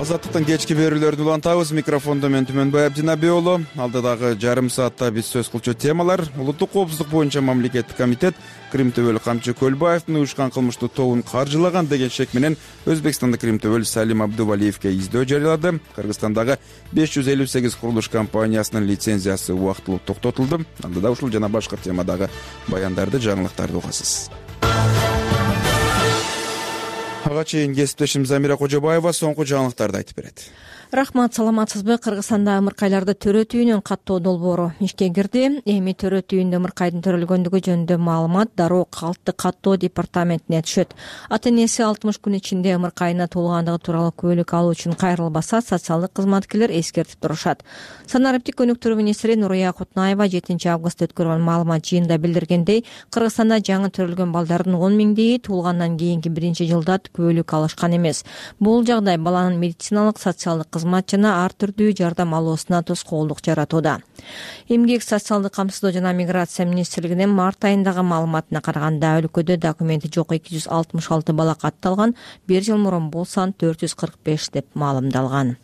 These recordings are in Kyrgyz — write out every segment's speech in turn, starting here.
Азаттыктын кечки берүүлөрүн улантабыз. Микрофондо мен Түмөнбай Абдинабек уулу. Алдыдагы жарым саатта биз сөз кылчу темалар: улуттук коопсуздук боюнча мамлекеттик комитет Крим Төбөл Камчы Көлбаевдин уюшкан кылмыштуу тобун каржылаган деген шек менен Өзбекстандык Крим Төбөл Салим Абдувалиевке издөө жарыялады. Кыргызстандагы 558 курулуш компаниясынын лицензиясы убактылуу токтотулду. Алдыда ушул жана башка темадагы баяндарды, жаңылыктарды угасыз. Ага чейин кесиптешим Замира Кожобаева соңку жаңылыктарды айтып берет. Рахмат, саламатсызбы? Кыргызстанда ымыркайларды төрөтүүнүн каттоо долбоору ишке кирди. Эми төрөтүүндө ымыркайдын төрөлгөндүгү жөнүндө маалымат дароо калкты каттоо департаментине түшөт. Ата энеси 60 күн ичинде ымыркайына туулгандыгы тууралуу күбөлүк алуу үчүн кайрылбаса, социалдык кызматкерлер эскертип турушат. Санариптик өнүктүрүү министри Нурия Кутнаева 7 августта өткөргөн маалымат жыйынында билдиргендей, Кыргызстанда жаңы төрөлгөн балдардын 10 миңдеги туулгандан кийинки биринчи жылда күбөлүк алышкан эмес. Бул жагдай баланын медициналык, социалдык кызмат жана ар түрдүү жардам алуусуна тоскоолдук жаратууда. Эмгек, социалдык камсыздоо жана миграция министрлигинин март айындагы маалыматына караганда, өлкөдө документи жок 266 бала катталган, бир жыл мурун бул сан 445 деп маалымдалган.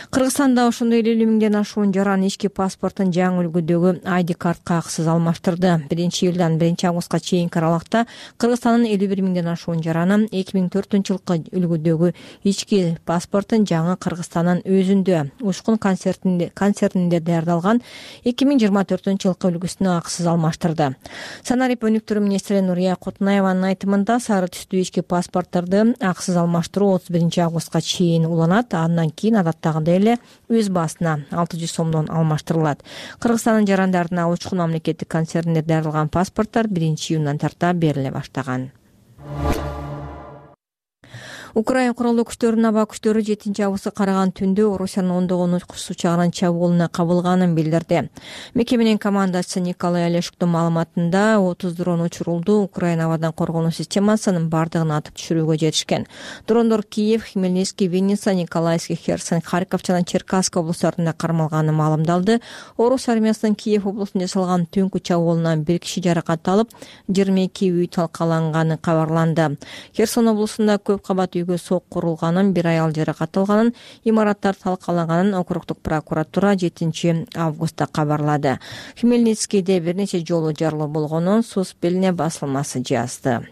Кыргызстанда ошондой 50 миңден ашуун жаран ички паспортун жаңы үлгүдөгү ID картка акысыз алмаштырды. 1-июлдан 1 августка чейинки аралыкта Кыргызстандын 51 миңден ашуун жараны 2004-жылкы үлгүдөгү ички паспортун жаңы Кыргызстандын өзүндө Ушкун концертинде даярдалган 2024-жылкы үлгүсүнө акысыз алмаштырды. Санарип өнүктүрүү министри Нурия Кутнаеванын айтымында, сары түстүү ички паспорттарды акысыз алмаштыруу 31 августка чейин уланат. Андан кийин адаттагыдай эле өз баасына 600 сомдон алмаштырылат. Кыргызстандын жарандарына Учкун мамлекеттик концертинде даярдалган паспорттор 1-июндан тарта бериле баштаган. Украина куралдуу күчтөрүнүн аба күчтөрү 7 августка караган түндө Орусиянын ондогон учкуч учагынын чабуулуна кабылганын билдирди. Мекеменин командачысы Николай Олешуктун маалыматында 30 дрон учурулду. Украина абадан коргонуу системасынын бардыгын атып түшүрүүгө жетишкен. Дрондор Киев, Хмельницкий, Винница, Николаевский, Херсон, Харьков жана Черкасск облустарында кармалганы маалымдалды. Орус армиясынын Киев облусунда жасалган түнкү чабуулунан 1 киши жаракат алып, 22 үй талкаланганы кабарланды. Херсон облусунда көп кабат үйгө сок курулганын, бир аял жаракат алганын, имараттар талкаланганын округдук прокуратура 7 августта кабарлады. Хмельницкийде бир нече жолу жарылуу болгонун Суспельне басылмасы жазды.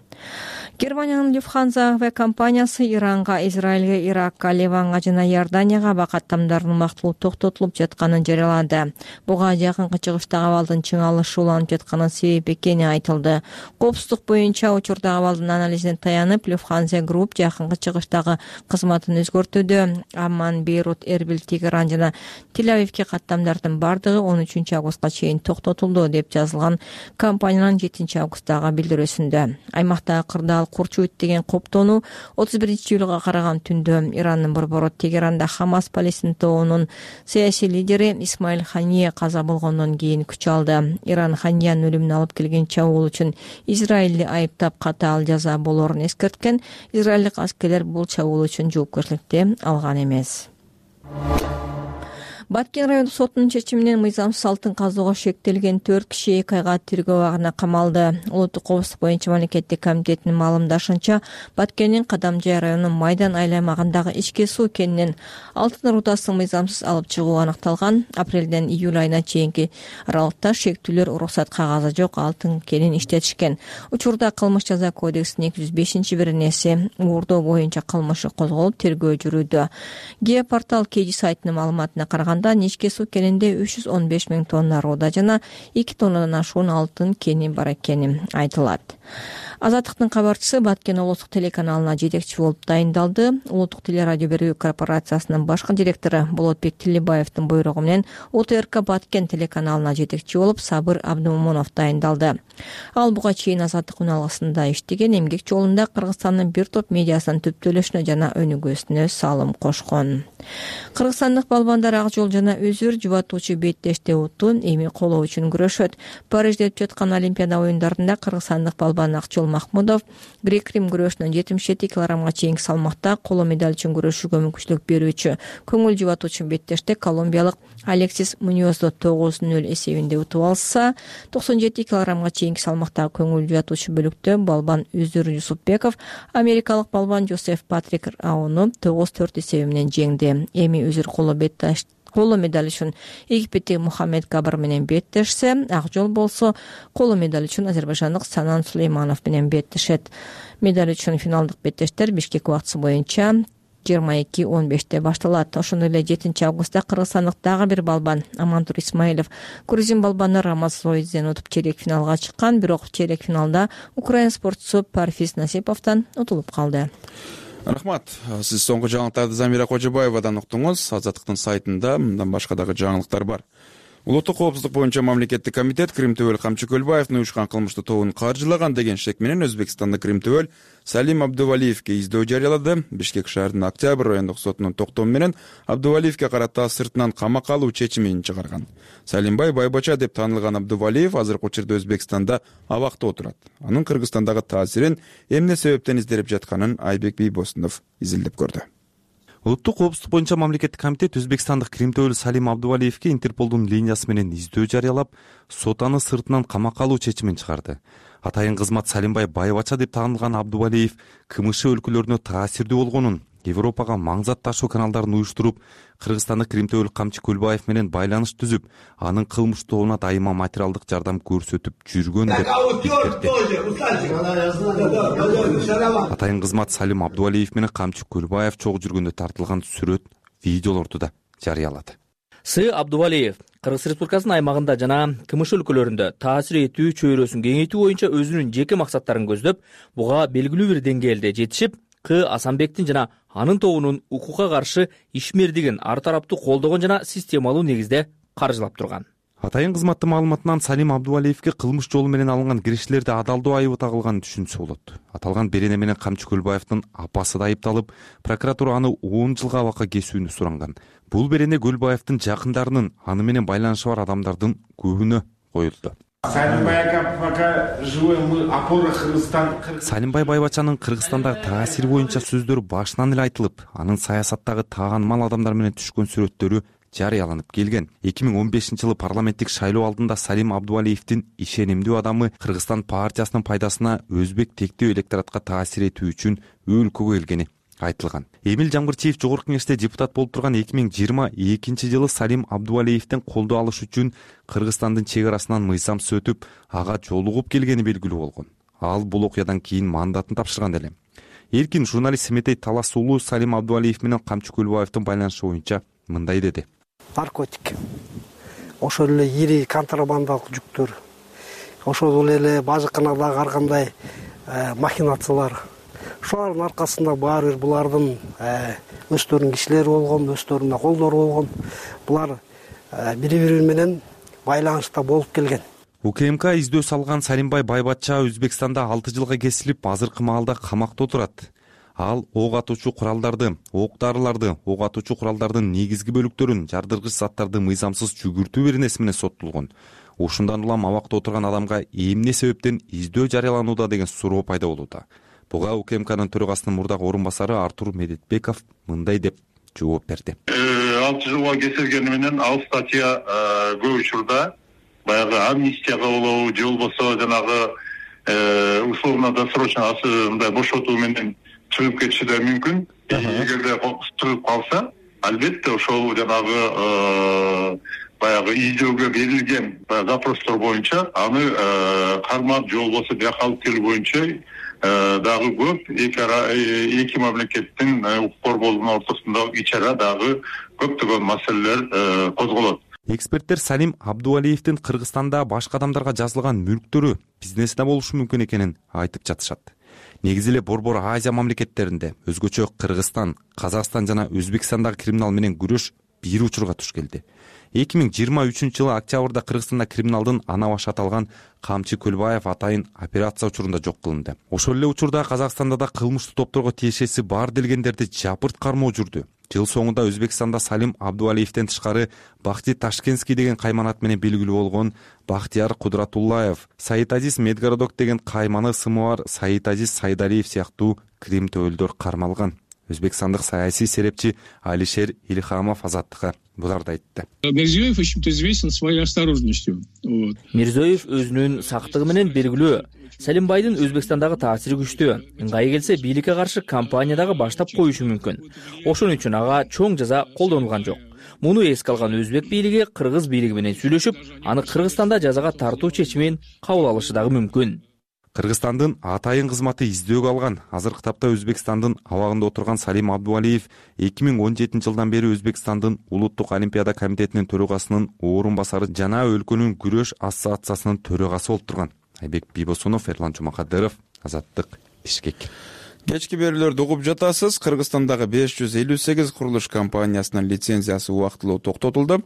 Германиянын Люфтханза авиакомпаниясы Иранга, Израилге, Иракка, Ливанга жана Иорданияга аба каттамдардын убактылуу токтотулуп жатканын жарыялады. Буга жакынкы чыгыштагы абалдын чыңалышы уланып жатканын себеп экени айтылды. Коопсуздук боюнча учурдагы абалдын анализине таянып, Люфтханза Групп жакынкы чыгыштагы кызматын өзгөртүүдө. Амман, Бейрут, Эрбил, Тегеран жана Тель-Авивке каттамдардын бардыгы 13 августка чейин токтотулду деп жазылган компаниянын 7 августтагы билдирүүсүндө. Аймактагы кырдаал Курчуйт деген коптоону 31 июлга караган түндө Ирандын борбору Тегеранда Хамас Палестин тобунун саясий лидери Исмаил Хания каза болгондон кийин күч алды. Иран Ханиянын өлүмүнө алып келген чабуул үчүн Израилди айыптап катаал жаза болоорун эскерткен. Израилдик аскерлер бул чабуул үчүн жоопкерчиликти алган эмес. Баткен райондук сотунун чечиминен мыйзамсыз алтын казууга шектелген 4 киши 2 айга тергөө абагына камалды. Улуттук коопсуздук боюнча мамлекеттик комитетинин маалымдашынча, Баткендин Кадамжай районунун Майдан айланмагындагы ички суу кенинен алтын рудасынын мыйзамсыз алып чыгуу аныкталган. Апрелден июль айына чейинки аралыкта шектүүлөр уруксат кагазы жок алтын кенин иштетишкен. Учурда кылмыш жаза кодексинин 205-беренеси уурдоо боюнча кылмышы козголуп, тергөө жүрүүдө. Геопортал Кеди сайтынын маалыматына караганда, ички суу кенинде 315 миң тонна руда жана 2 тоннадан ашуун алтын кени бар экени айтылат. Азаттыктын кабарчысы Баткен улуттук телеканалына жетекчи болуп дайындалды. Улуттук телерадио берүү корпорациясынын башкы директору Болотбек Тилибаевдин буйругу менен УТРК Баткен телеканалына жетекчи болуп Сабыр Абдумомунов дайындалды. Ал буга чейин Азаттык уналгысында иштеген, эмгек жолунда Кыргызстандын бир топ медиасынын түптөлүшүнө жана өнүгүүсүнө салым кошкон. Кыргызстандык балбандар ак жол жана өзүр жубатуучу беттеште утун эми колоо үчүн күрөшөт. Парижде өтүп жаткан Олимпиада оюндарында кыргызстандык балбан Акжол Махмудов грек-рим күрөшүнөн 77 килограммга чейинки салмакта коло медаль үчүн күрөшүүгө мүмкүнчүлүк берүүчү көңүл жубатуучу беттеште колумбиялык Алексис Муньозду 9-0 эсебинде утуп алса, 97 килограммга чейинки салмакта көңүл жубатуучу бөлүктө балбан Үзүр Юсупбеков америкалык балбан Жозеф Патрик Рауну 9-4 эсеби менен жеңди. Эми Үзүр коло медаль үчүн Египеттеги Мухаммед Кабыр менен беттешсе, Акжол болсо коло медаль үчүн азербайжандык Санан Сулейманов менен беттешет. Медаль үчүн финалдык беттештер Бишкек убактысы боюнча 22:15 башталат. Ошондой эле 7 августта кыргызстандык дагы бир балбан Амантур Исмаилов грузин балбаны Рамаз Зоидден утуп чейрек финалга чыккан, бирок чейрек финалда украин спортчусу Парфиз Насиповдон утулуп калды. Рахмат. Сиз соңку жаңылыктарды Замира Кожобаевадан уктуңуз. Азаттыктын сайтында мындан башка дагы жаңылыктар бар. Улуттук коопсуздук боюнча мамлекеттик комитет Кримтөбөл Камчы Көлбаевдин уюшкан кылмыштуу тобун каржылаган деген шек менен Өзбекстандык Кримтөбөл Салим Абдувалиевке издөө жарыялады. Бишкек шаарынын Октябрь райондук сотунун токтому менен Абдувалиевке карата сыртынан камакка алуу чечимин чыгарган. Салимбай Байбача деп таанылган Абдувалиев азыркы учурда Өзбекстанда абакта отурат. Анын Кыргызстандагы таасирин эмне себептен изделип жатканын Айбек Бийбосунов изилдеп көрдү. Улуттук коопсуздук боюнча мамлекеттик комитет Өзбекстандык Кримтөбөл Салим Абдувалиевке Интерполдун линиясы менен издөө жарыялап, сот аны сыртынан камакка алуу чечимин чыгарды. Атайын кызмат Салимбай Байбача деп таанылган Абдувалиев КМШ өлкөлөрүнө таасирдүү болгонун, Европага маңзат ташуу каналдарын уюштуруп, Кыргызстандык Кримтөбөл Камчы Көлбаев менен байланыш түзүп, анын кылмыштуу тобуна дайыма материалдык жардам көрсөтүп жүргөн деп эскертти. Атайын кызмат Салим Абдувалиев менен Камчы Көлбаев чогуу жүргөндө тартылган сүрөт, видеолорду да жарыялады. С. Абдувалиев Кыргыз Республикасынын аймагында жана КМШ өлкөлөрүндө таасир этүү чөйрөсүн кеңейтүү боюнча өзүнүн жеке максаттарын көздөп, буга белгилүү бир деңгээлде жетишип, К. Асанбектин жана анын тобунун укукка каршы ишмердигин ар тараптуу колдогон жана системалуу негизде каржылап турган. Атайын кызматтын маалыматынан Салим Абдувалиевке кылмыш жолу менен алынган кириштерди адалдоо айыбы тагылганын түшүнсө болот. Аталган берене менен Камчы Көлбаевдин апасы да айыпталып, прокуратура аны 10 жылга абакка кесүүнү суранган. Бул берене Көлбаевдин жакындарынын, аны менен байланышы бар адамдардын көбүнө коюлду. Салимбай Байбачанын Кыргызстандагы таасир боюнча сөздөрү башынан эле айтылып, анын саясаттагы таанымал адамдар менен түшкөн сүрөттөрү жарыяланып келген. 2015 жылы парламенттик шайлоо алдында Салим Абдувалиевдин ишенимдүү адамы Кыргызстан партиясынын пайдасына өзбек тектөө электоратка таасир этүү үчүн өлкөгө келгени айтылган. Эмил Жамгырчиев жогорку кеңеште депутат болуп турган 2022 жылы Салим Абдувалиевден колдоо алыш үчүн Кыргызстандын чек арасынан мыйзамсыз өтүп, ага жолугуп келгени белгилүү болгон. Ал бул окуядан кийин мандатын тапшырган эле. Эркин журналист Семетей Талас уулу Салим Абдувалиев менен Камчы Көлбаевдин байланышы боюнча мындай деди. Наркотик, ошол эле ири контрабандалык жүктөр, ошол эле бажыканадагы ар кандай махинациялар, ошолардын аркасында баары бир булардын өздөрүнүн кишилери болгон, өздөрүнүн колдору болгон, булар бири-бири менен байланышта болуп келген. УКМК издөө салган Салимбай Байбача Өзбекстанда 6 жылга кесилип, азыркы маалда камакта отурат. Ал ок атуучу куралдарды, ок дарыларды, ок атуучу куралдардын негизги бөлүктөрүн, жардыргыч заттарды мыйзамсыз жүгүртүү беренеси менен соттолгон. Ушундан улам абакта отурган адамга эмне себептен издөө жарыяланууда деген суроо пайда болууда. Буга УКМКнын төрагасынын мурдагы орун басары Артур Медетбеков мындай деп жооп берди. 6 жылга кесилгени менен ал статья көп учурда баягы амнистия кабылуу же болбосо жанагы условно-досрочно мындай бошотуу менен чыгып кетиши да мүмкүн. Эгерде чыгып калса, албетте ошол жанагы баягы издөөгө берилген запростор боюнча аны кармап же болбосо бияка алып келүү боюнча дагы көп эки мамлекеттин укук коргоолунун ортосунда ич ара дагы көптөгөн маселелер козголот. Эксперттер Салим Абдувалиевдин Кыргызстанда башка адамдарга жазылган мүлктөрү бизнесте болушу мүмкүн экенин айтып жатышат. Негизи эле Борбор Азия мамлекеттеринде, өзгөчө Кыргызстан, Казакстан жана Өзбекстандагы криминал менен күрөш бир учурга туш келди. 2023-жылы октябрда Кыргызстанда криминалдын ана башы аталган Камчы Көлбаев атайын операция учурунда жок кылынды. Ошол эле учурда Казакстанда да кылмыштуу топторго тиешеси бар делгендерди жапырт кармоо жүрдү. Жыл соңунда Өзбекстанда Салим Абдувалиевден тышкары Бахти Ташкентский деген кайманат менен белгилүү болгон Бахтияр Кудратуллаев, Саид Азиз Медгородок деген кайманы ысымы бар Саид Азиз Сайдариев сыяктуу крим төбөлдөр кармалган. Өзбекстандык саясий серепчи Алишер Илхамов Азаттыкка буларды айтты. Мирзиёев очень-то известен своей осторожностью. Мирзиёев өзүнүн сактыгы менен белгилүү. Салимбайдын Өзбекстандагы таасири күчтүү. Ыңгайы келсе бийликке каршы кампания баштап коюшу мүмкүн. Ошон үчүн ага чоң жаза колдонулган жок. Муну эске алган өзбек бийлиги кыргыз бийлиги менен сүйлөшүп, аны Кыргызстанда жазага тартуу чечимин кабыл алышы дагы мүмкүн. Кыргызстандын атайын кызматы издөөгө алган. Азыркы тапта Өзбекстандын абагында отурган Салим Абдувалиев 2017-жылдан бери Өзбекстандын Улуттук Олимпиада комитетинин төрагасынын орун басары жана өлкөнүн күрөш ассоциациясынын төрагасы болуп турган. Айбек Бибосунов, Эрлан Жумакадыров, Азаттык, Бишкек. Кечки берүүлөрдү угуп жатасыз. Кыргызстандагы 558 курулуш компаниясынын лицензиясы убактылуу токтотулду.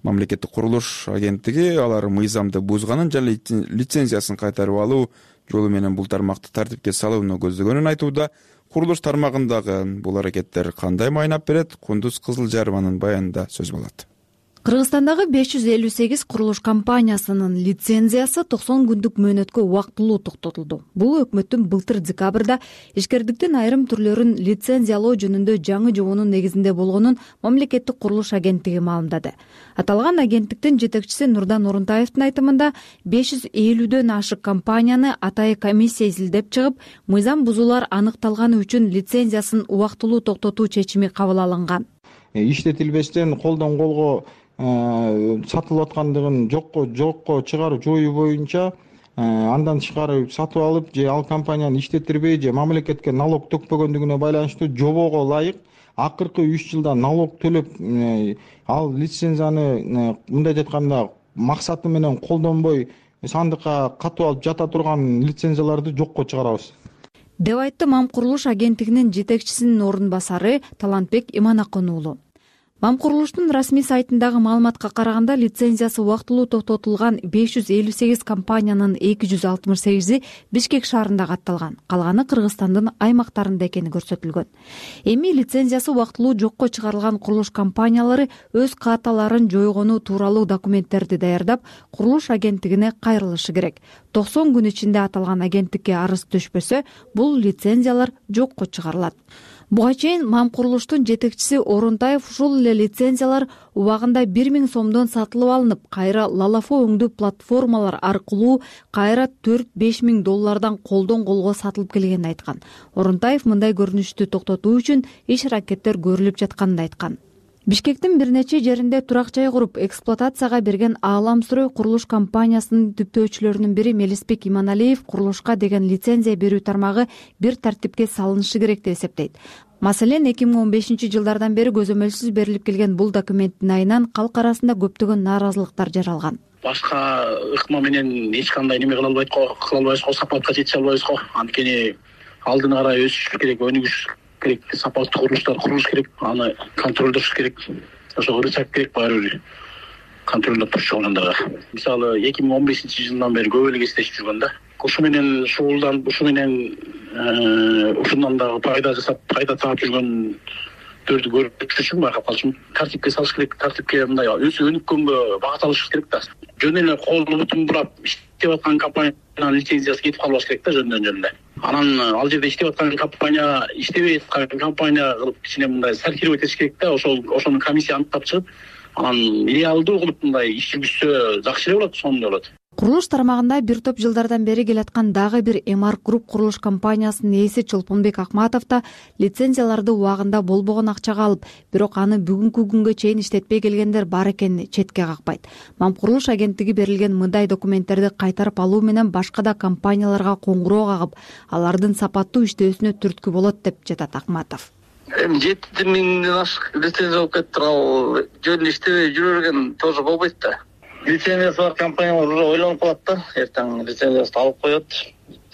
Мамлекеттик курулуш агенттиги алар мыйзамды бузганын жана лицензиясын кайтарып алуу жолу менен бул тармакты тартипке салууну көздөгөнүн айтууда. Курулуш тармагындагы бул аракеттер кандай майнап берет? Кундуз Кызылжарованын баянында сөз болот. Кыргызстандагы 558 курулуш компаниясынын лицензиясы 90 күндүк мөөнөткө убактылуу токтотулду. Бул өкмөттүн былтыр декабрда ишкердиктин айрым түрлөрүн лицензиялоо жөнүндө жаңы жобонун негизинде болгонун мамлекеттик курулуш агенттиги маалымдады. Аталган агенттиктин жетекчиси Нурдан Орунтаевдин айтымында 550дөн ашык компанияны атайын комиссия изилдеп чыгып, мыйзам бузуулар аныкталганы үчүн лицензиясын убактылуу токтотуу чечими кабыл алынган. Иштетилбестен колдон колго сатылып аткандыгын жокко чыгарып жоюу боюнча андан тышкары сатып алып же ал компанияны иштеттирбей же мамлекетке налог төкпөгөндүгүнө байланыштуу жобого ылайык акыркы 3 жылда налог төлөп ал лицензияны мындай айтканда максаты менен колдонбой сандыкка катып алып жата турган лицензияларды жокко чыгарабыз деп айтты Мамкурулуш агенттигинин жетекчисинин орун басары Талантбек Иманакын уулу. Мамкурулуштун расмий сайтындагы маалыматка караганда лицензиясы убактылуу токтотулган 558 компаниянын 268и Бишкек шаарында катталган, калганы Кыргызстандын аймактарында экени көрсөтүлгөн. Эми лицензиясы убактылуу жокко чыгарылган курулуш компаниялары өз каталарын жойгону тууралуу документтерди даярдап, курулуш агенттигине кайрылышы керек. 90 күн ичинде аталган агенттикке арыз түшпөсө, бул лицензиялар жокко чыгарылат. Буга чейин Мамкурулуштун жетекчиси Орунтаев ушул эле лицензиялар убагында 1000 сомдон сатылып алынып, кайра лалафо өңдүү платформалар аркылуу кайра 4-5 миң доллардан колдон колго сатылып келгенин айткан. Орунтаев мындай көрүнүштү токтотуу үчүн иш-аракеттер көрүлүп жатканын айткан. Бишкектин бир нече жеринде турак жай куруп эксплуатацияга берген Ааламстрой курулуш компаниясынын түптөөчүлөрүнүн бири Мелисбек Иманалиев курулушка деген лицензия берүү тармагы бир тартипке салынышы керек деп эсептейт. Маселен, 2015-жылдардан бери көзөмөлсүз берилип келген бул документтин айынан калк арасында көптөгөн нааразылыктар жаралган. Башка ыкма менен эч кандай неме кыла албайбызго, сапатка жете албайбызго. Анткени алдын ара өсүш керек, өнүгүш керек, сапаттуу курулуштар курулуш керек, аны контролдош керек. Ошого рычаг керек, баары бир контролдоп туруш жагында. Мисалы 2015-жылдан бери көп эле кездешип жүргөн да. Ушу менен шуулданып, ушу менен ушундан дагы пайда жасап, пайда таап жүргөндөрдү көрүп үчүн байкап калчумун. Тартипке салыш керек, тартипке мындай өнүккөнгө багыт алыш керек да. Жөн эле колду бутун бурап иштеп аткан компаниянын лицензиясы кетип калбаш керек да, жөндөн эле. Анан ал жерде иштеп аткан компания, иштебей аткан компания кылып кичине мындай сортировать этиш керек да, ошону комиссия аныктап чыгып, анан реалдуу кылып мындай иш жүргүзсө жакшы эле болот, сонун болот. Курулуш тармагында бир топ жылдардан бери келаткан дагы бир Эмарк Груп курулуш компаниясынын ээси Чолпонбек Акматов да лицензияларды убагында болбогон акчага алып, бирок аны бүгүнкү күнгө чейин иштетпей келгендер бар экенин четке какпайт. Мамкурулуш агенттиги берилген мындай документтерди кайтарып алуу менен башка да компанияларга коңгуроо кагып, алардын сапаттуу иштөөсүнө түрткү болот деп жатат Акматов. 7 миңден ашык лицензия болуп кетти, ал жөн иштебей жүрө берген тоже болбойт да. Лицензиясы бар компаниялар уже ойлонуп калат да, эртең лицензиясын алып коет.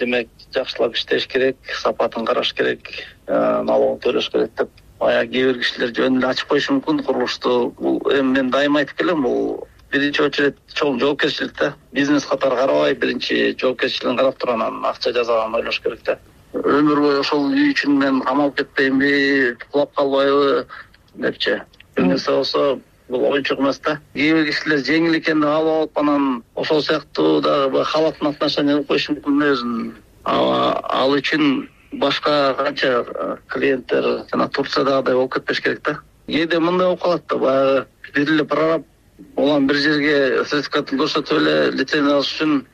Демек, жакшылап иштеш керек, сапатын караш керек, налогун төлөш керек деп баягы кээ бир кишилер жөн эле ачып коюшу мүмкүн курулушту. Бул эми мен дайыма айтып келем, бул биринчи очередь чоң жоопкерчилик да. Бизнес катары карабай, биринчи жоопкерчилигин карап туруп анан акча жасаганын ойлош керек да. Өмүр бою ошол үй үчүн мен камалып кетпейинби, кулап калбайбы депчи. Бир нерсе болсо бул оюнчук эмес да. Кээ бир кишилер жеңил экен деп алып алып анан ошол сыяктуу дагы халаттын отношение кылып коюшу мүмкүн өзүн. Ал үчүн башка канча клиенттер жана Турциядагыдай болуп кетпеш керек да. Кээде мындай болуп калат да, баягы бир эле прораб улам бир жерге сертификатын көрсөтүп эле лицензия алыш үчүн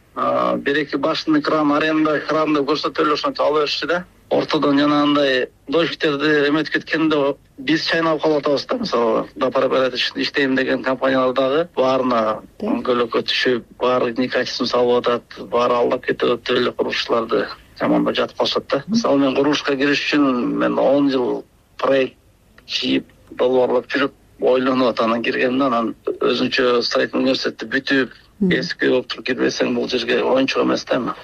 бир-эки башынный кран, аренда кран деп көрсөтүп эле ошентип ала беришчи да. Ортодон жана андай дольщиктерди эметип кеткенде биз чайнап калып атабыз да. Мисалы, допропорядок иштейм деген компаниялар дагы баарына көлөкө түшүп, баары некачесын салып атат, баары алдап кетип атат деп эле курулушчуларды жамандап жатып калышат да. Мисалы, мен курулушка кириш үчүн мен 10 жыл проект чийип, долбоорлоп жүрүп, ойлонуп атанан киргенмин. Анан өзүнчө строительный университетти бүтүп, кесипкөй болуп туруп кирбесең бул жерге оюнчук эмес да эми.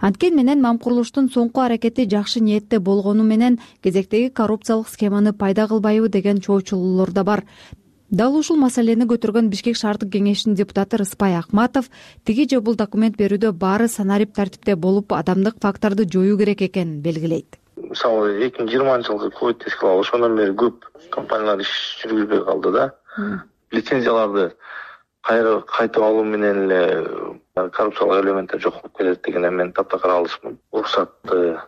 Анткени менен мам курулуштун соңку аракети жакшы ниетте болгону менен кезектеги коррупциялык схеманы пайда кылбайбы деген чоочулуулар да бар. Дал ушул маселени көтөргөн Бишкек шаардык кеңешинин депутаты Рыспай Акматов тиги же бул документ берүүдө баары санарип тартипте болуп, адамдык факторду жоюу керек экенин белгилейт. Мисалы 2020-жылкы ковид эскилап ошондон бери көп компаниялар иш жүргүзбөй калды да. Лицензияларды кайтып алуу менен эле коррупциялык элементтер жок болуп келет деген мен таптакыр каалышмын. Уруксатты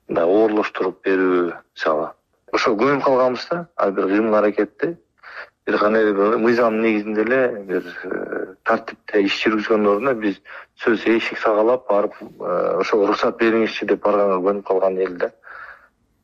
да оорлоштуруп берүү, мисалы. Ошо көмүп калганбыз да, ар бир кыймыл-аракетти бир кандай мыйзам негизинде эле бир тартипте иш жүргүзгөндөн ордуна биз сөз эшик сагалап барып ошого уруксат бериңизчи деп барганга көнүп калган эл да.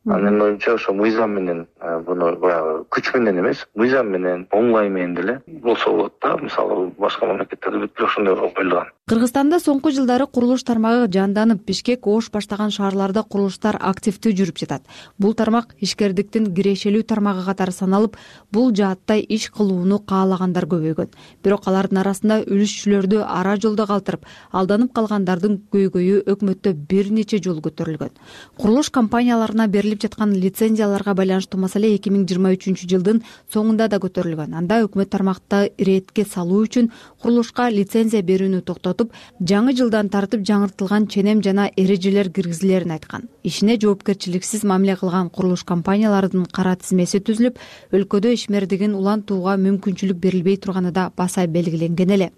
Анын оюмча ошо мыйзам менен буну баягы күч менен эмес, мыйзам менен, оңлай менен деле болсо болот да. Мисалы, башка мамлекеттерде бүт ошондой коюлган. Кыргызстанда соңку жылдары курулуш тармагы жанданып, Бишкек, Ош баштаган шаарларда курулуштар активдүү жүрүп жатат. Бул тармак ишкердиктин кирешелүү тармагы катары саналып, бул жаатта иш кылууну каалагандар көбөйгөн. Бирок алардын арасында үлүшчүлөрдү ара жолдо калтырып, алданып калгандардын көйгөйү өкмөттө бир нече жолу көтөрүлгөн. Курулуш компанияларына берилип жаткан лицензияларга байланыштуу маселе 2023-жылдын соңунда да көтөрүлгөн. Анда өкмөт тармакты иретке салуу үчүн курулушка лицензия берүүнү токтотуп, жаңы жылдан тартып жаңыртылган ченем жана эрежелер киргизилерин айткан. Ишине жоопкерчиликсиз мамиле кылган курулуш компанияларынын кара тизмеси түзүлүп, өлкөдө ишмердигин улантууга мүмкүнчүлүк берилбей турганы да баса белгиленген эле.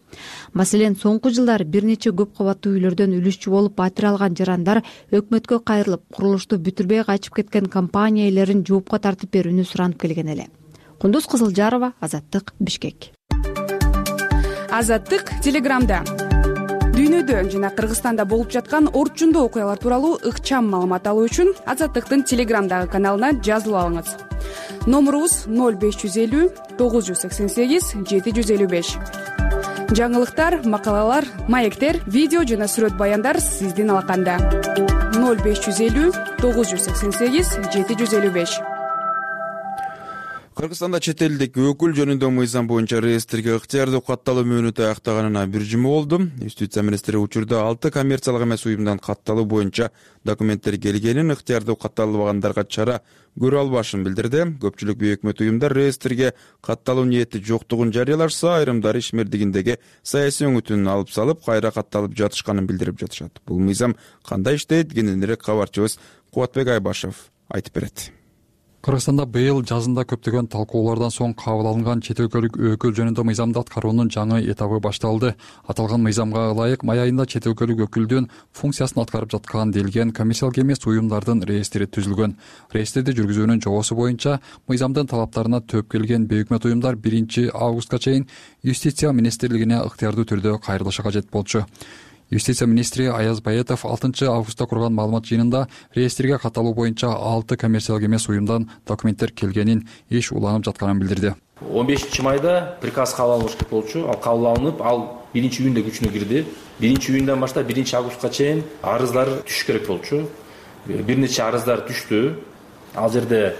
Маселен, соңку жылдары бир нече көп кабаттуу үйлөрдөн үлүшчү болуп батир алган жарандар өкмөткө кайрылып, курулушту бүтүрбөй качып кеткен компания ээлерин жоопко тартып берүүнү суранып келген эле. Кундуз Кызылжарова, Азаттык, Бишкек. Азаттык Телеграмда дүйнөдө жана Кыргызстанда болуп жаткан орчундуу окуялар тууралуу ыкчам маалымат алуу үчүн Азаттыктын Телеграмдагы каналына жазылып алыңыз. Номурубуз 0550 988 755. Жаңылыктар, макалалар, маектер, видео жана сүрөт баяндар сиздин алаканда. 0550 988 755. Кыргызстанда чет элдик өкүл жөнүндө мыйзам боюнча реестрге ыктыярдуу катталуу мөөнөтү аяктаганына бир жума болду. Юстиция министри учурда 6 коммерциялык эмес уюмдан катталуу боюнча документтер келгенин, ыктыярдуу катталбагандарга чара көрө албашын билдирди. Көпчүлүк бейөкмөт уюмдар реестрге катталуу ниети жоктугун жарыялашса, айрымдары ишмердигиндеги саясий өңүтүн алып салып, кайра катталып жатышканын билдирип жатышат. Бул мыйзам кандай иштейт? Кененирээк кабарчыбыз Кубатбек Айбашев айтып берет. Кыргызстанда быйыл жазында көптөгөн талкуулардан соң кабыл алынган чет өлкөлүк өкүл жөнүндө мыйзамды аткаруунун жаңы этабы башталды. Аталган мыйзамга ылайык май айында чет өлкөлүк өкүлдүн функциясын аткарып жаткан делген коммерциялык эмес уюмдардын реестри түзүлгөн. Реестрди жүргүзүүнүн жобосу боюнча мыйзамдын талаптарына төөп келген бейөкмөт уюмдар 1 августка чейин Юстиция министрлигине ыктыярдуу түрдө кайрылышы кажет болчу. Юстиция министри Аяз Баетов 6 августта курган маалымат жыйынында реестрге катталуу боюнча 6 коммерциялык эмес уюмдан документтер келгенин, иш уланып жатканын билдирди. 15 майда приказ кабыл алыныш керек болчу. Ал кабыл алынып, ал 1-июнда күчүнө кирди. 1-июндан баштап 1 августка чейин арыздар түшүш керек болчу. Бир нече арыздар түштү. Ал жерде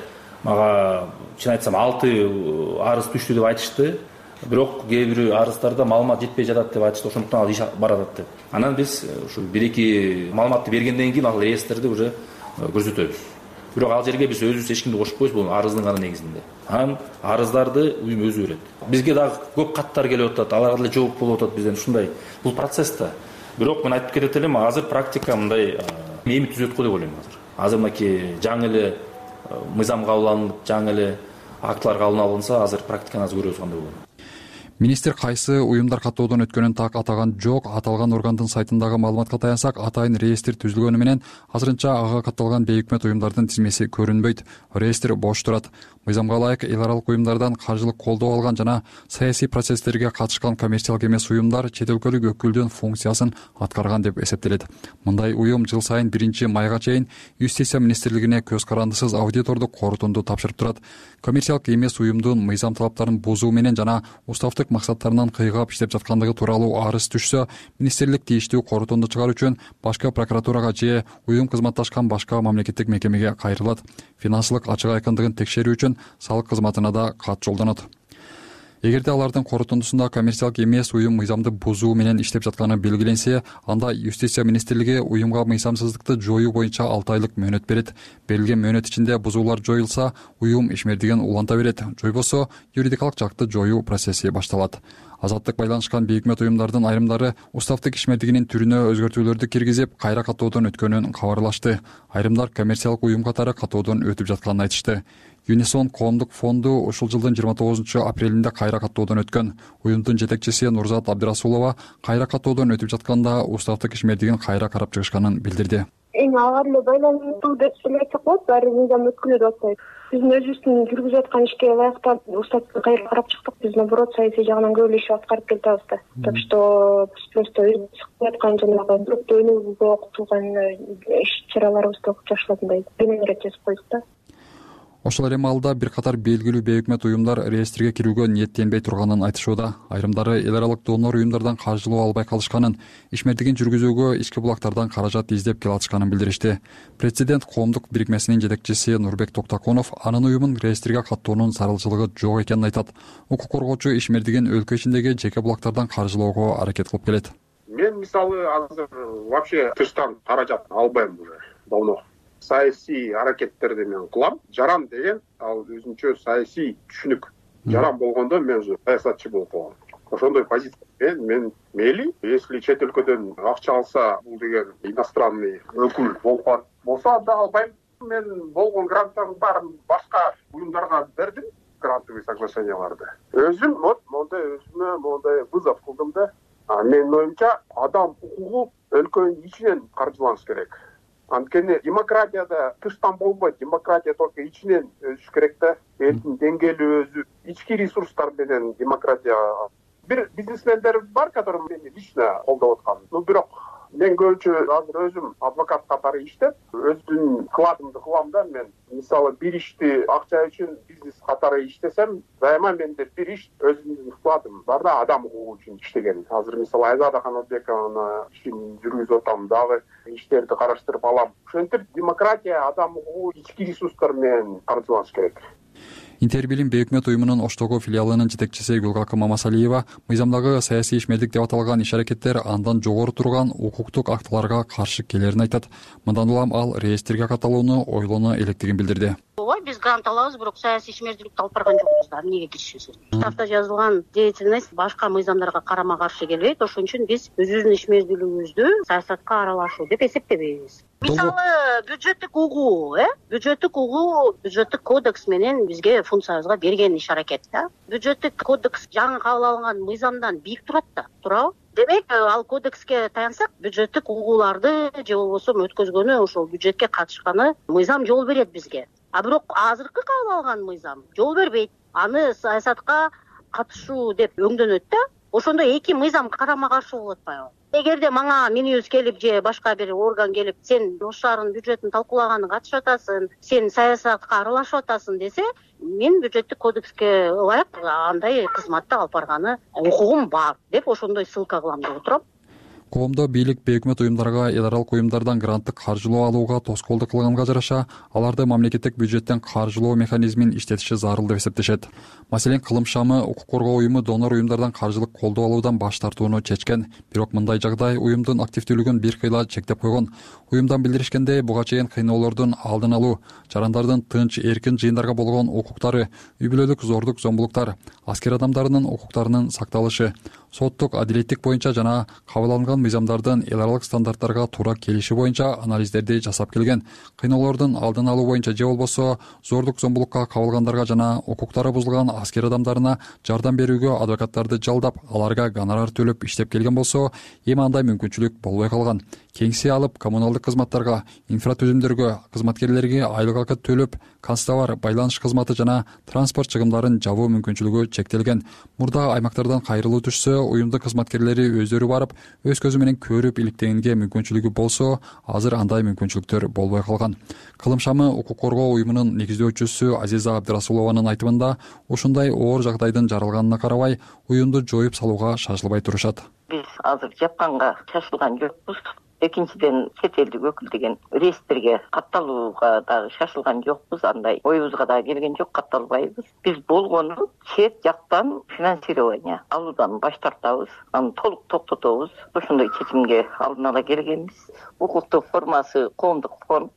мага чын айтсам 6 арыз түштү деп айтышты. Бирок кээ бир арыздарда маалымат жетпей жатат деп айтышты. Ошондуктан ал иш барат деп. Анан биз ушу 1-2 маалыматты бергенден кийин ал реестрди уже көрсөтөбүз. бирок ал жерге биз өзүбүз эч кимди кошпойбуз, бул арыздын гана негизинде. Анан арыздарды уюм өзү берет. Бизге дагы көп каттар келип атат, аларга деле жооп болуп атат бизден. Ушундай бул процесс да. Бирок мен айтып кетет элем, азыр практика мындай эми түзөт го деп ойлойм азыр. Азыр мынакей жаңы эле мыйзам кабыл алынып, жаңы эле актылар кабыл алынса, азыр практиканы азыр көрөбүз кандай болот. Министр кайсы уюмдар каттоодон өткөнүн так атаган жок. Аталган органдын сайтындагы маалыматка таянсак, атайын реестр түзүлгөнү менен азырынча ага катталган бейөкмөт уюмдардын тизмеси көрүнбөйт. Реестр бош турат. Мыйзамга ылайык эл аралык уюмдардан каржылык колдоо алган жана саясий процесстерге катышкан коммерциялык эмес уюмдар чет өлкөлүк өкүлдүн функциясын аткарган деп эсептелет. Мындай уюм жыл сайын 1-майга чейин Юстиция министрлигине көз карандысыз аудитордук корутунду тапшырып турат. Коммерциялык эмес уюмдун мыйзам талаптарын бузуу менен жана уставдык максаттарынан кыйгап иштеп жаткандыгы тууралуу арыз түшсө, министрлик тийиштүү корутунду чыгаруу үчүн башкы прокуратурага же уюм кызматташкан башка мамлекеттик мекемеге кайрылат. Финансылык ачык айкындыгын текшерүү үчүн салык кызматына да кат жолдонот. Эгерде алардын корутундусунда коммерциялык эмес уюм мыйзамды бузуу менен иштеп жатканы белгиленсе, анда Юстиция министрлиги уюмга мыйзамсыздыкты жоюу боюнча 6 айлык мөөнөт берет. Берилген мөөнөт ичинде бузуулар жоюлса, уюм ишмердигин уланта берет. Жойбосо, юридикалык жакты жоюу процесси башталат. Азаттык байланышкан бейөкмөт уюмдардын айрымдары уставдык ишмердигинин түрүнө өзгөртүүлөрдү киргизип, кайра каттоодон өткөнүн кабарлашты. Айрымдар коммерциялык уюм катары каттоодон өтүп жатканын айтышты. Юнисон коомдук фонду ушул жылдын 29-апрелинде кайра каттоодон өткөн. Уюмдун жетекчиси Нурзат Абдырасулова кайра каттоодон өтүп жатканда уставдык ишмердигин кайра карап чыгышканын билдирди. Ага эле байланыштуу деп эле айтсак болот, баары мыйзам өткүлө деп атпайбы. Биздин өзүбүздүн жүргүзүп аткан ишке ылайыктап уставдыкты кайра карап чыктык. Биз наоборот саясий жагынан көп эле иш аткарып келатабыз да. Так что биз просто өзүбүз аткан жанагы өтөөнүбүзгө окутулган иш-чараларыбызды окуп жакшылагандай бенеңирээк жазып койдук да. Ошол эле маалда бир катар белгилүү бейөкмөт уюмдар реестрге кирүүгө ниеттенбей турганын айтышууда. Айрымдары эл аралык донор уюмдардан каржылоо албай калышканын, ишмердигин жүргүзүүгө ички булактардан каражат издеп келатышканын билдиришти. Президент коомдук бирикмесинин жетекчиси Нурбек Токтаконов анын уюмун реестрге каттоонун зарылчылыгы жок экенин айтат. Укук коргоочу ишмердигин өлкө ичиндеги жеке булактардан каржылоого аракет кылып келет. Мен мисалы азыр вообще тыштан каражат албайм уже давно. Саясий аракеттерди мен кылам. Жаран деген ал өзүнчө саясий түшүнүк. Жаран болгондо мен уже саясатчы болуп калгам. Ошондой позиция. Мен мейли, если чет өлкөдөн акча алса, бул деген иностранный өкүл болса да албайм. Мен болгон гранттардын баарын башка уюмдарга бердим, грантовый соглашенияларды. Өзүм мондай вызов кылдым да. Менин оюмча адам укугу өлкөнүн ичинен каржыланыш керек. Анткени демократияда тыштан болбойт, демократия только ичинен өсүш керек да. Элдин деңгээли өзү, ички ресурстар менен демократия. Бир бизнесмендер бар, которые мени лично колдоп аткан. Бирок мен көбүнчө азыр өзүм адвокат катары иштеп, өзүмдүн вкладымды кылам да. Мен мисалы бир ишти акча үчүн бизнес катары иштесем, дайыма менде бир иш өзүмдүн вкладым бар да, адам укугу үчүн иштеген. Азыр мисалы Айзада Канатбековна ишин жүргүзүп атам, дагы иштерди караштырып алам. Ошентип демократия, адам укугу ички ресурстар менен каржыланыш керек. Интербилим бейөкмөт уюмунун Оштогу филиалынын жетекчиси Гүлгакы Мамасалиева мыйзамдагы саясий ишмердик деп аталган иш-аракеттер андан жогору турган укуктук актыларга каршы келерин айтат. Мындан улам ал реестрге катталууну ойлоно электигин билдирди. Ооба, биз грант алабыз, бирок саясий ишмердикти алып барган жокпуз да. Эмнеге киришесиз? Уставда жазылган деятельность башка мыйзамдарга карама-каршы келбейт. Ошон үчүн биз өзүбүздүн ишмердүүлүгүбүздү саясатка аралашуу деп эсептебейбиз. Мисалы, бюджеттик угуу, бюджеттик кодекс менен бизге функциябызга берген иш-аракет да. Бюджеттик кодекс жаңы кабыл алынган мыйзамдан бийик турат да, туурабы? Демек, ал кодекске таянсак, бюджеттик угууларды же болбосо өткөзгөнү, ошол бюджетке катышканы мыйзам жол берет бизге. А бирок азыркы кабыл алган мыйзам жол бербейт. Аны саясатка катышуу деп өңдөнөт да. Ошондо эки мыйзам карама-каршы болуп атпайбы? Эгерде мага Минюс келип же башка бир орган келип, сен Ош шаарынын бюджетин талкуулаганга катышып атасың, сен саясатка аралашып атасың десе, мен бюджеттик кодекске ылайык андай кызматты алып барганы укугум бар деп ошондой ссылка кылам деп отурам. коомдо бийлик бейөкмөт уюмдарга эл аралык уюмдардан гранттык каржылоо алууга тоскоолдук кылганга жараша аларды мамлекеттик бюджеттен каржылоо механизмин иштетиши зарыл деп эсептешет. Маселен, Кылым шамы укук коргоо уюму донор уюмдардан каржылык колдоо алуудан баш тартууну чечкен. Бирок мындай жагдай уюмдун активдүүлүгүн бир кыйла чектеп койгон. Уюмдан билдиришкендей, буга чейин кыйноолордун алдын алуу, жарандардын тынч эркин жыйындарга болгон укуктары, үй бүлөлүк зордук зомбулуктар, аскер адамдарынын укуктарынын сакталышы, соттук адилеттик боюнча жана кабыл алынган мыйзамдардын эл аралык стандарттарга туура келиши боюнча анализдерди жасап келген. Кыйноолордун алдын алуу боюнча же болбосо зордук зомбулукка кабылгандарга жана укуктары бузулган аскер адамдарына жардам берүүгө адвокаттарды жалдап, аларга гонорар төлөп иштеп келген болсо, эми андай мүмкүнчүлүк болбой калган. Кеңсе алып, коммуналдык кызматтарга, инфратүзүмдөргө, кызматкерлерге айлык акы төлөп, канцтовар, байланыш кызматы жана транспорт чыгымдарын жабуу мүмкүнчүлүгү чектелген. Мурда аймактардан кайрылуу түшсө, уюмдун кызматкерлери өздөрү барып, өз көзү менен көрүп иликтегенге мүмкүнчүлүгү болсо, азыр андай мүмкүнчүлүктөр болбой калган. Кылым шамы укук коргоо уюмунун негиздөөчүсү Азиза Абдырасулованын айтымында, ушундай оор жагдайдын жаралганына карабай, уюмду жоюп салууга шашылбай турушат. Биз азыр жапканга шашылган жокпуз. Экинчиден, чет элдик өкүл деген реестрге катталууга дагы шашылган жокпуз. Андай оюбузга дагы келген жок, катталбайбыз. Биз болгону чет жактан финансирование алуудан баш тартабыз, аны толук токтотобуз. Ошондой чечимге алдын ала келгенбиз. Укуктук формасы коомдук фонд,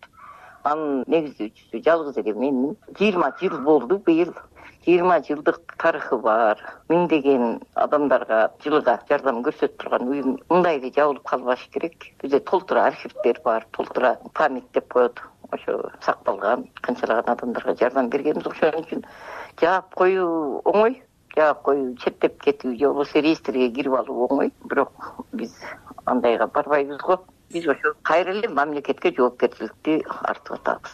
анын негиздөөчүсү жалгыз эле менмин. 20 жыл болду быйыл. 20 жылдык тарыхы бар. Миңдеген адамдарга жылга жардам көрсөтүп турган уюм мындай эле жабылып калбаш керек. Бизде толтура архивдер бар, толтура память деп коет. Ошо сакталган, канчалаган адамдарга жардам бергенбиз. Ошон үчүн жаап коюу оңой, жаап коюу четтеп кетүү же болбосо реестрге кирип алуу оңой. Бирок биз андайга барбайбыз го. Биз ошо кайра эле мамлекетке жоопкерчиликти артып атабыз.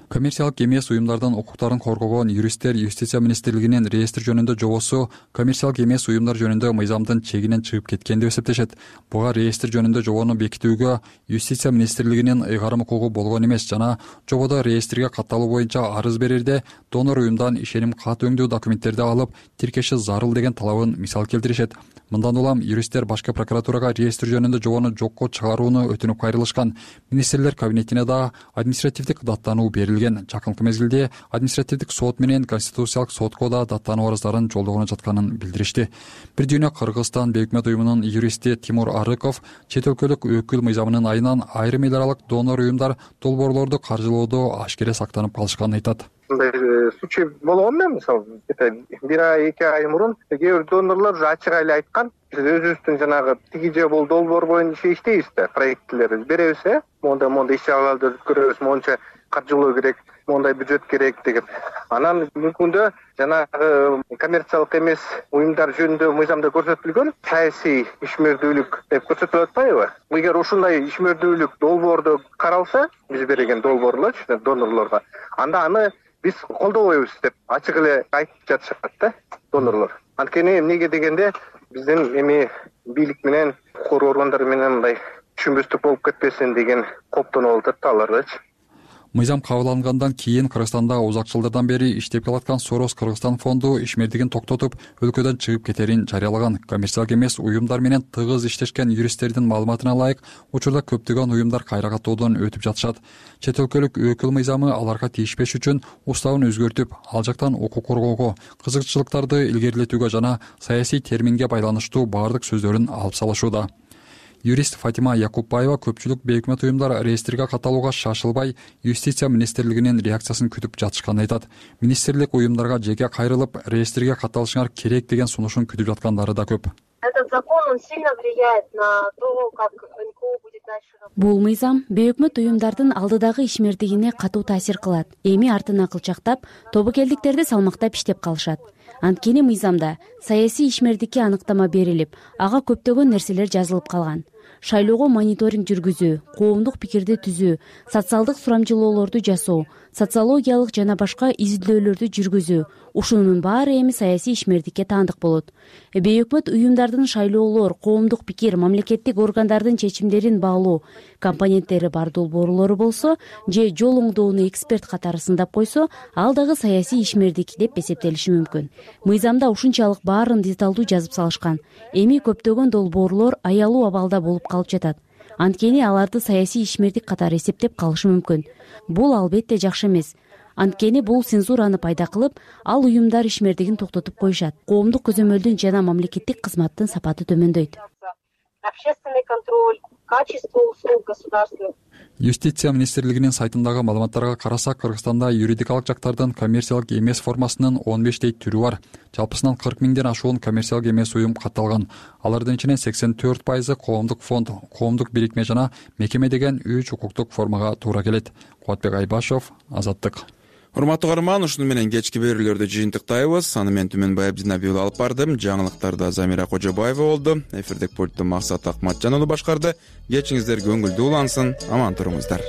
Коммерциялык эмес уюмдардын укуктарын коргогон юристтер Юстиция министрлигинин реестр жөнүндө жобосу коммерциялык эмес уюмдар жөнүндө мыйзамдын чегинен чыгып кеткен деп эсептешет. Буга реестр жөнүндө жобону бекитүүгө Юстиция министрлигинин ыйгарым укугу болгон эмес жана жободо реестрге катталуу боюнча арыз берерде донор уюмдан ишеним кат өңдүү документтерди алып тиркеши зарыл деген талабын мисал келтиришет. Мындан улам юристтер башкы прокуратурага реестр жөнүндө жобону жокко чыгарууну өтүнүп кайрылышкан. Министрлер кабинетине да административдик даттануу берилген. Жакынкы мезгилде административдик сот менен Конституциялык сотко да даттануу арыздарын жолдогону жатканын билдиришти. Бир дүйнө Кыргызстан бейөкмөт уюмунун юристи Тимур Арыков чет өлкөлүк өкүл мыйзамынын айынан айрым эл аралык донор уюмдар долбоорлорду каржылоодо ашкере сактанып калышканын айтат. Мындай случай болгон мен мисалы бир ай 2 ай мурун кээ бир донорлор ачык эле айткан, биз өзүбүздүн жанагы тиги же бул долбоор боюнча иштейбиз да, проектлерди беребиз, мондай иш чараларды өткөрөбүз, монча каржылоо керек, мондай бюджет керек деген. Анан бүгүндө жанагы коммерциялык эмес уюмдар жөнүндө мыйзамда көрсөтүлгөн саясий ишмердүүлүк деп көрсөтүлүп атпайбы? Эгер ушундай ишмердүүлүк долбоордо каралса, биз берген долбоорлорчу донорлорго, анда аны биз колдобойбуз деп ачык эле айтып жатышат да донорлор. Анткени эмнеге дегенде биздин эми бийлик менен коргоо органдары менен мындай түшүнбөстүк болуп кетпесин деген коптонуп атат алардачы. Мыйзам кабыл алынгандан кийин Кыргызстанда узак жылдардан бери иштеп келаткан Сорос Кыргызстан фонду ишмердигин токтотуп, өлкөдөн чыгып кетерин жарыялаган. Коммерциялык эмес уюмдар менен тыгыз иштешкен юристтердин маалыматына ылайык, учурда көптөгөн уюмдар кайра каттоодон өтүп жатышат. Чет өлкөлүк өкүл мыйзамы аларга тийишпеш үчүн уставын өзгөртүп, ал жактан укук коргоого, кызыкчылыктарды илгерилетүүгө жана саясий терминге байланыштуу баардык сөздөрүн алып салышууда. Юрист Фатима Якупбаева көпчүлүк бейөкмөт уюмдар реестрге катталууга шашылбай, Юстиция министрлигинин реакциясын күтүп жатышканын айтат. Министрлик уюмдарга жеке кайрылып, реестрге катталышыңар керек деген сунушун күтүп жаткандары да көп. Этот закон, он сильно влияет на то, как НКО будет дальше работать. Бул мыйзам бейөкмөт уюмдардын алдыдагы ишмердигине катуу таасир кылат. Эми артына кылчактап, тобокелдиктерди салмактап иштеп калышат. Анткени мыйзамда саясий ишмердикке аныктама берилип, ага көптөгөн нерселер жазылып калган. шайлоого мониторинг жүргүзүү, коомдук пикирди түзүү, социалдык сурамжылоолорду жасоо, социологиялык жана башка изилдөөлөрдү жүргүзүү, ушунун баары эми саясий ишмердикке таандык болот. Бейөкмөт уюмдардын шайлоолор, коомдук пикир, мамлекеттик органдардын чечимдерин баалоо компоненттери бар долбоорлору болсо же жол оңдоону эксперт катары сындап койсо, ал дагы саясий ишмердик деп эсептелиши мүмкүн. Мыйзамда ушунчалык баарын деталдуу жазып салышкан. Эми көптөгөн долбоорлор аялуу абалда болуп калып жатат. Анткени аларды саясий ишмердик катары эсептеп калышы мүмкүн. Бул албетте жакшы эмес. Анткени бул цензураны пайда кылып, ал уюмдар ишмердигин токтотуп коюшат. Коомдук көзөмөлдүн жана мамлекеттик кызматтын сапаты төмөндөйт. Общественный контроль, качество услуг государственных. Юстиция министрлигинин сайтындагы маалыматтарга карасак, Кыргызстанда юридикалык жактардан коммерциялык эмес формасынын 15 түрү бар. Жалпысынан 40 миңден ашуун коммерциялык эмес уюм катталган. Алардын ичинен 84% коомдук фонд, коомдук бирикме жана мекеме деген 3 укуктук формага туура келет. Кубатбек Айбашев, Азаттык. Урматтуу каарман, ушуну менен кечки берүүлөрдү жыйынтыктайбыз. Аны мен Түмөнбай Абдинабиұлы алып бардым. Жаңылыктарда Замира Кожобаева болду. Эфирдик пультту Максат Акматжан уулу башкарды. Кечиңиздер көңүлдүү улансын. Аман туруңуздар.